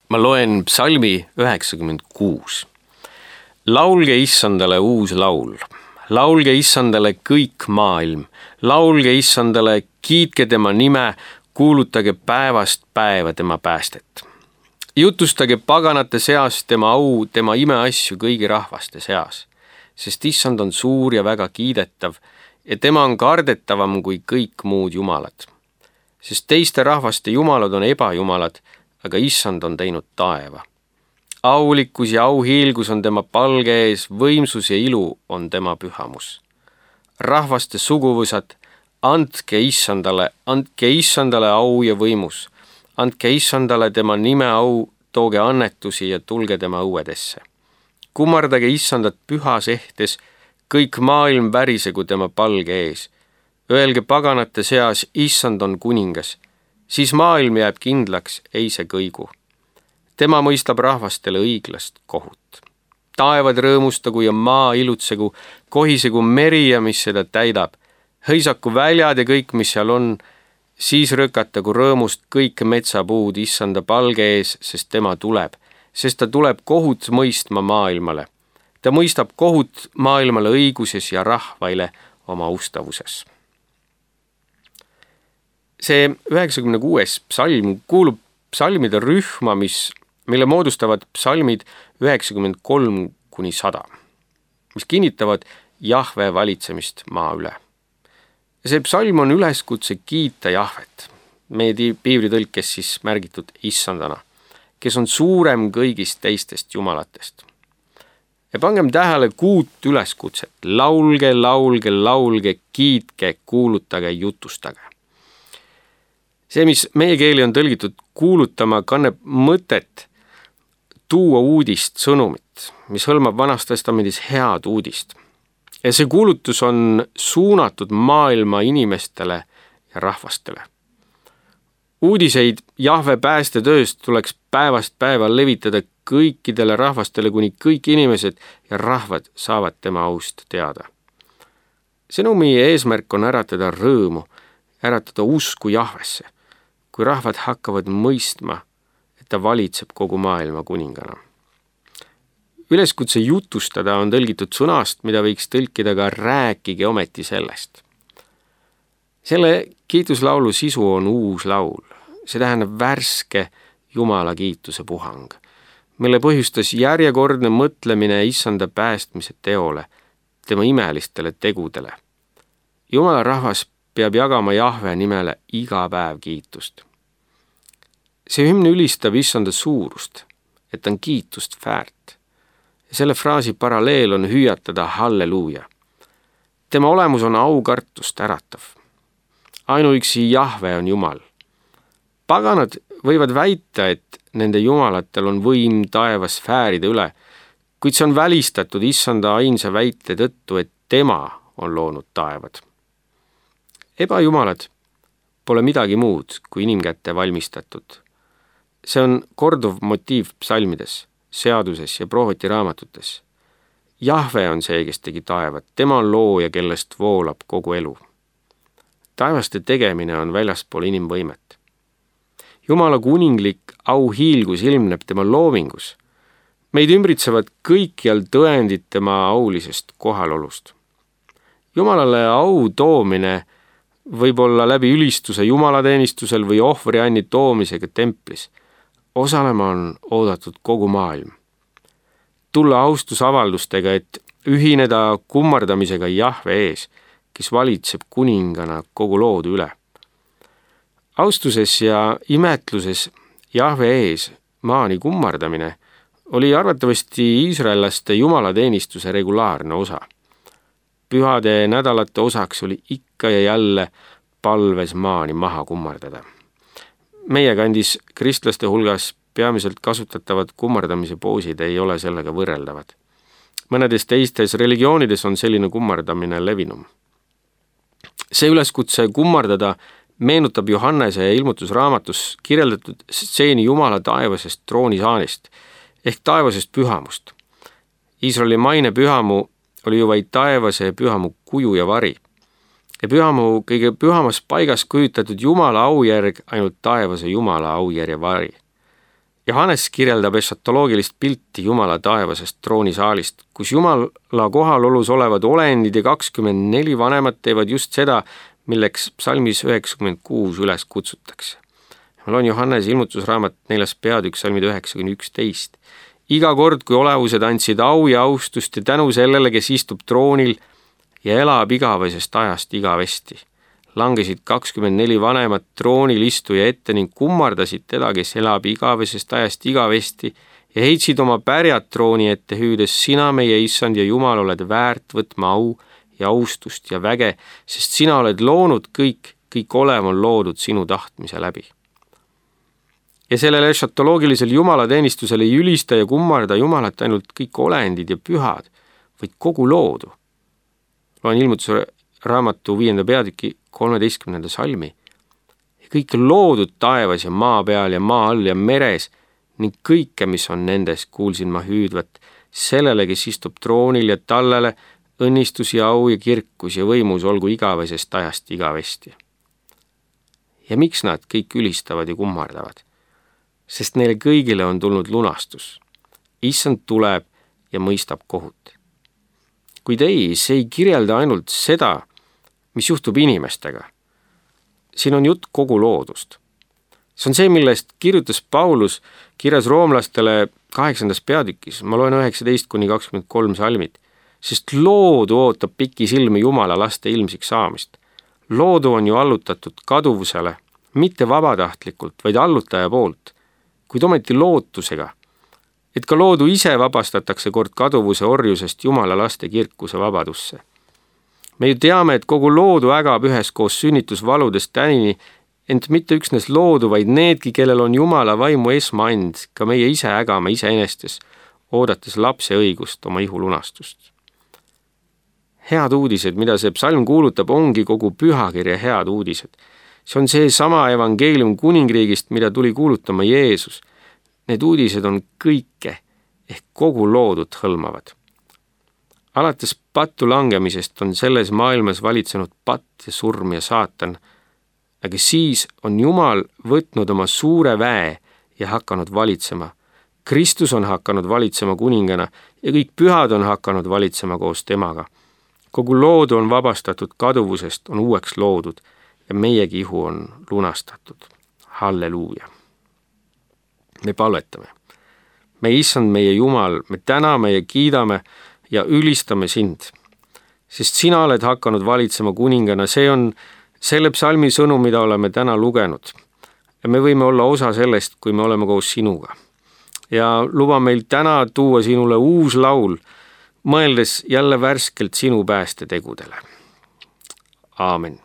Ma loen psalmi 96. Laulge Issandale uus laul. Laulge Issandale kõik maailm. Laulge Issandale, kiitke tema nime, kuulutage päevast päeva tema päästet. Jutustage paganate seas tema au, tema imeasju kõigi rahvaste seas. Sest Issand on suur ja väga kiidetav ja tema on kardetavam kui kõik muud jumalad. Sest teiste rahvaste jumalad on ebajumalad, aga Issand on teinud taeva. Aulikkus ja auhiilgus on tema palge ees, võimsus ja ilu on tema pühamus. Rahvaste suguvõsad, andke Issandale au ja võimus. Andke Issandale tema nime au, tooge annetusi ja tulge tema õuedesse. Kummardage Issandat pühas ehtes, kõik maailm värisegu tema palge ees. Öelge paganate seas, Issand on kuningas. Siis maailm jääb kindlaks, ei see kõigu. Tema mõistab rahvastele õiglast kohut. Taevad rõõmustagu ja maa ilutsegu, kohisegu meri ja mis seda täidab. Hõisaku väljad ja kõik, mis seal on, siis rõkatagu rõõmust kõik metsapuud Issanda palge ees, sest tema tuleb. Sest ta tuleb kohut mõistma maailmale. Ta mõistab kohut maailmale õiguses ja rahvaile oma ustavuses. See 96. psalm kuulub psalmide rühma, mille moodustavad psalmid 93–100, mis kinnitavad Jahve valitsemist maa üle. See psalm on üleskutse kiita Jahvet, meie piiblitõlkes siis märgitud Issandana, kes on suurem kõigist teistest jumalatest. Ja pangem tähele 6 üleskutset: laulge, laulge, laulge, kiitke, kuulutage, jutustage. See, mis meie keeli on tõlgitud kuulutama, kanneb mõtet tuua uudist, sõnumit, mis hõlmab Vanas Testamendis head uudist. Ja see kuulutus on suunatud maailma inimestele ja rahvastele. Uudiseid Jahve päästetööst tuleks päevast päeva levitada kõikidele rahvastele, kuni kõik inimesed ja rahvad saavad tema aust teada. Sõnumi eesmärk on äratada rõõmu, äratada usku Jahvesse, kui rahvad hakkavad mõistma, et ta valitseb kogu maailma kuningana. Üleskutse jutustada on tõlgitud sõnast, mida võiks tõlkida ka rääkige ometi sellest. Selle kiituslaulu sisu on uus laul. See tähendab värske Jumala kiituse puhang, mille põhjustas järjekordne mõtlemine Issanda päästmise teole, tema imelistele tegudele. Jumala rahvas peab jagama Jahve nimele iga päev kiitust. See hümn ülistab Issanda suurust, et on kiitust väärt. Ja selle fraasi paralleel on hüüatada halleluuja. Tema olemus on aukartust äratav. Ainuüksi Jahve on Jumal. Paganad võivad väita, et nende jumalatel on võim taevas sfääride üle, kuid see on välistatud Issanda ainsa väite tõttu, et tema on loonud taevad. Ebajumalad pole midagi muud kui inimkätte valmistatud. See on korduv motiiv psalmides, seaduses ja prohveti raamatutes. Jahve on see, kes tegi taevad, tema on looja, kellest voolab kogu elu. Taevaste tegemine on väljaspool inimvõimet. Jumala kuninglik auhiilgus ilmneb tema loomingus. Meid ümbritsevad kõikjal tõendid tema aulisest kohalolust. Jumalale au toomine võib olla läbi ülistuse jumalateenistusel või ohvrianni toomisega templis. Osalema on oodatud kogu maailm. Tulla austusavaldustega, et ühineda kummardamisega Jahve ees, kes valitseb kuningana kogu loodu üle. Austuses ja imetluses Jahve ees maani kummardamine oli arvatavasti iisraellaste jumalateenistuse regulaarne osa. Pühade nädalate osaks oli ikka ja jälle palves maani maha kummardada. Meie kandis kristlaste hulgas peamiselt kasutatavad kummardamise poosid ei ole sellega võrreldavad. Mõnedes teistes religioonides on selline kummardamine levinum. See üleskutse kummardada meenutab Johannese ilmutusraamatus kirjeldatud stseeni Jumala taevasest troonisaanist ehk taevasest pühamust. Iisraeli maine pühamu oli ju vaid taevase pühamu kuju ja vari. Ja pühamu kõige pühamas paigas kujutatud Jumala aujärg ainult taevase Jumala aujärje vari. Johannes kirjeldab ešatoloogilist pilti Jumala taevasest troonisaalist, kus Jumala kohalolus olevad olendid ja 24 vanemat teevad just seda, milleks psalmis 96 üles kutsutakse. Ma loen Johannes ilmutusraamat 4. peatükk salmid 9-11. Iga kord, kui olevused andsid au ja austust ja tänu sellele, kes istub troonil ja elab igavesest ajast igavesti, langesid 24 vanemat troonil istuja ette ning kummardasid teda, kes elab igavesest ajast igavesti ja heitsid oma pärjad trooni ette, hüüdes: sina, meie issand ja Jumal, oled väärt võtma au ja austust ja väge, sest sina oled loonud kõik olev on loodud sinu tahtmise läbi. Ja sellele ešatoloogilisel jumalateenistusel ei ülista ja kummarda Jumalat ainult kõik olendid ja pühad, vaid kogu loodu. Loen ilmutuse raamatu 5. peatüki 13. salmi. Ja kõik loodud taevas ja maa peal ja maa all ja meres ning kõike, mis on nendes, kuulsin ma hüüdvat sellele, kes istub troonil ja tallele õnnistus ja au ja kirkus ja võimus olgu igavesest ajast igavesti. Ja miks nad kõik ülistavad ja kummardavad? Sest neile kõigile on tulnud lunastus. Issand tuleb ja mõistab kohut. Kuid ei, see ei kirjelda ainult seda, mis juhtub inimestega. Siin on jutt kogu loodust. See on see, millest kirjutas Paulus kirjas roomlastele 8. peatükis. Ma loen 19-23 salmid. Sest loodu ootab pikisilmi Jumala laste ilmsiks saamist. Loodu on ju allutatud kaduvusele, mitte vabatahtlikult, vaid allutaja poolt, kuid ometi lootusega, et ka loodu ise vabastatakse kord kaduvuse orjusest Jumala laste kirkuse vabadusse. Me ju teame, et kogu loodu ägab üheskoos sünnitusvaludest tänini, ent mitte üksnes loodu, vaid needki, kellel on Jumala vaimu esmaand, ka meie ise ägame iseenestes, oodates lapse õigust, oma ihu lunastust. Head uudised, mida see psalm kuulutab, ongi kogu pühakirja head uudised. See on see sama evangeelium kuningriigist, mida tuli kuulutama Jeesus. Need uudised on kõike ehk kogu loodut hõlmavad. Alates pattu langemisest on selles maailmas valitsenud patt ja surm ja saatan, aga siis on Jumal võtnud oma suure väe ja hakanud valitsema. Kristus on hakanud valitsema kuningana ja kõik pühad on hakanud valitsema koos temaga. Kogu loodu on vabastatud kaduvusest, on uueks loodud ja meiegi ihu on lunastatud. Halleluuja! Me palvetame. Me issand, meie Jumal, me täname ja kiidame ja ülistame sind, sest sina oled hakanud valitsema kuningana. See on selle psalmi sõnum, mida oleme täna lugenud. Ja me võime olla osa sellest, kui me oleme koos sinuga. Ja luba meil täna tuua sinule uus laul, mõeldes jälle värskelt sinu päästetegudele. Aamen.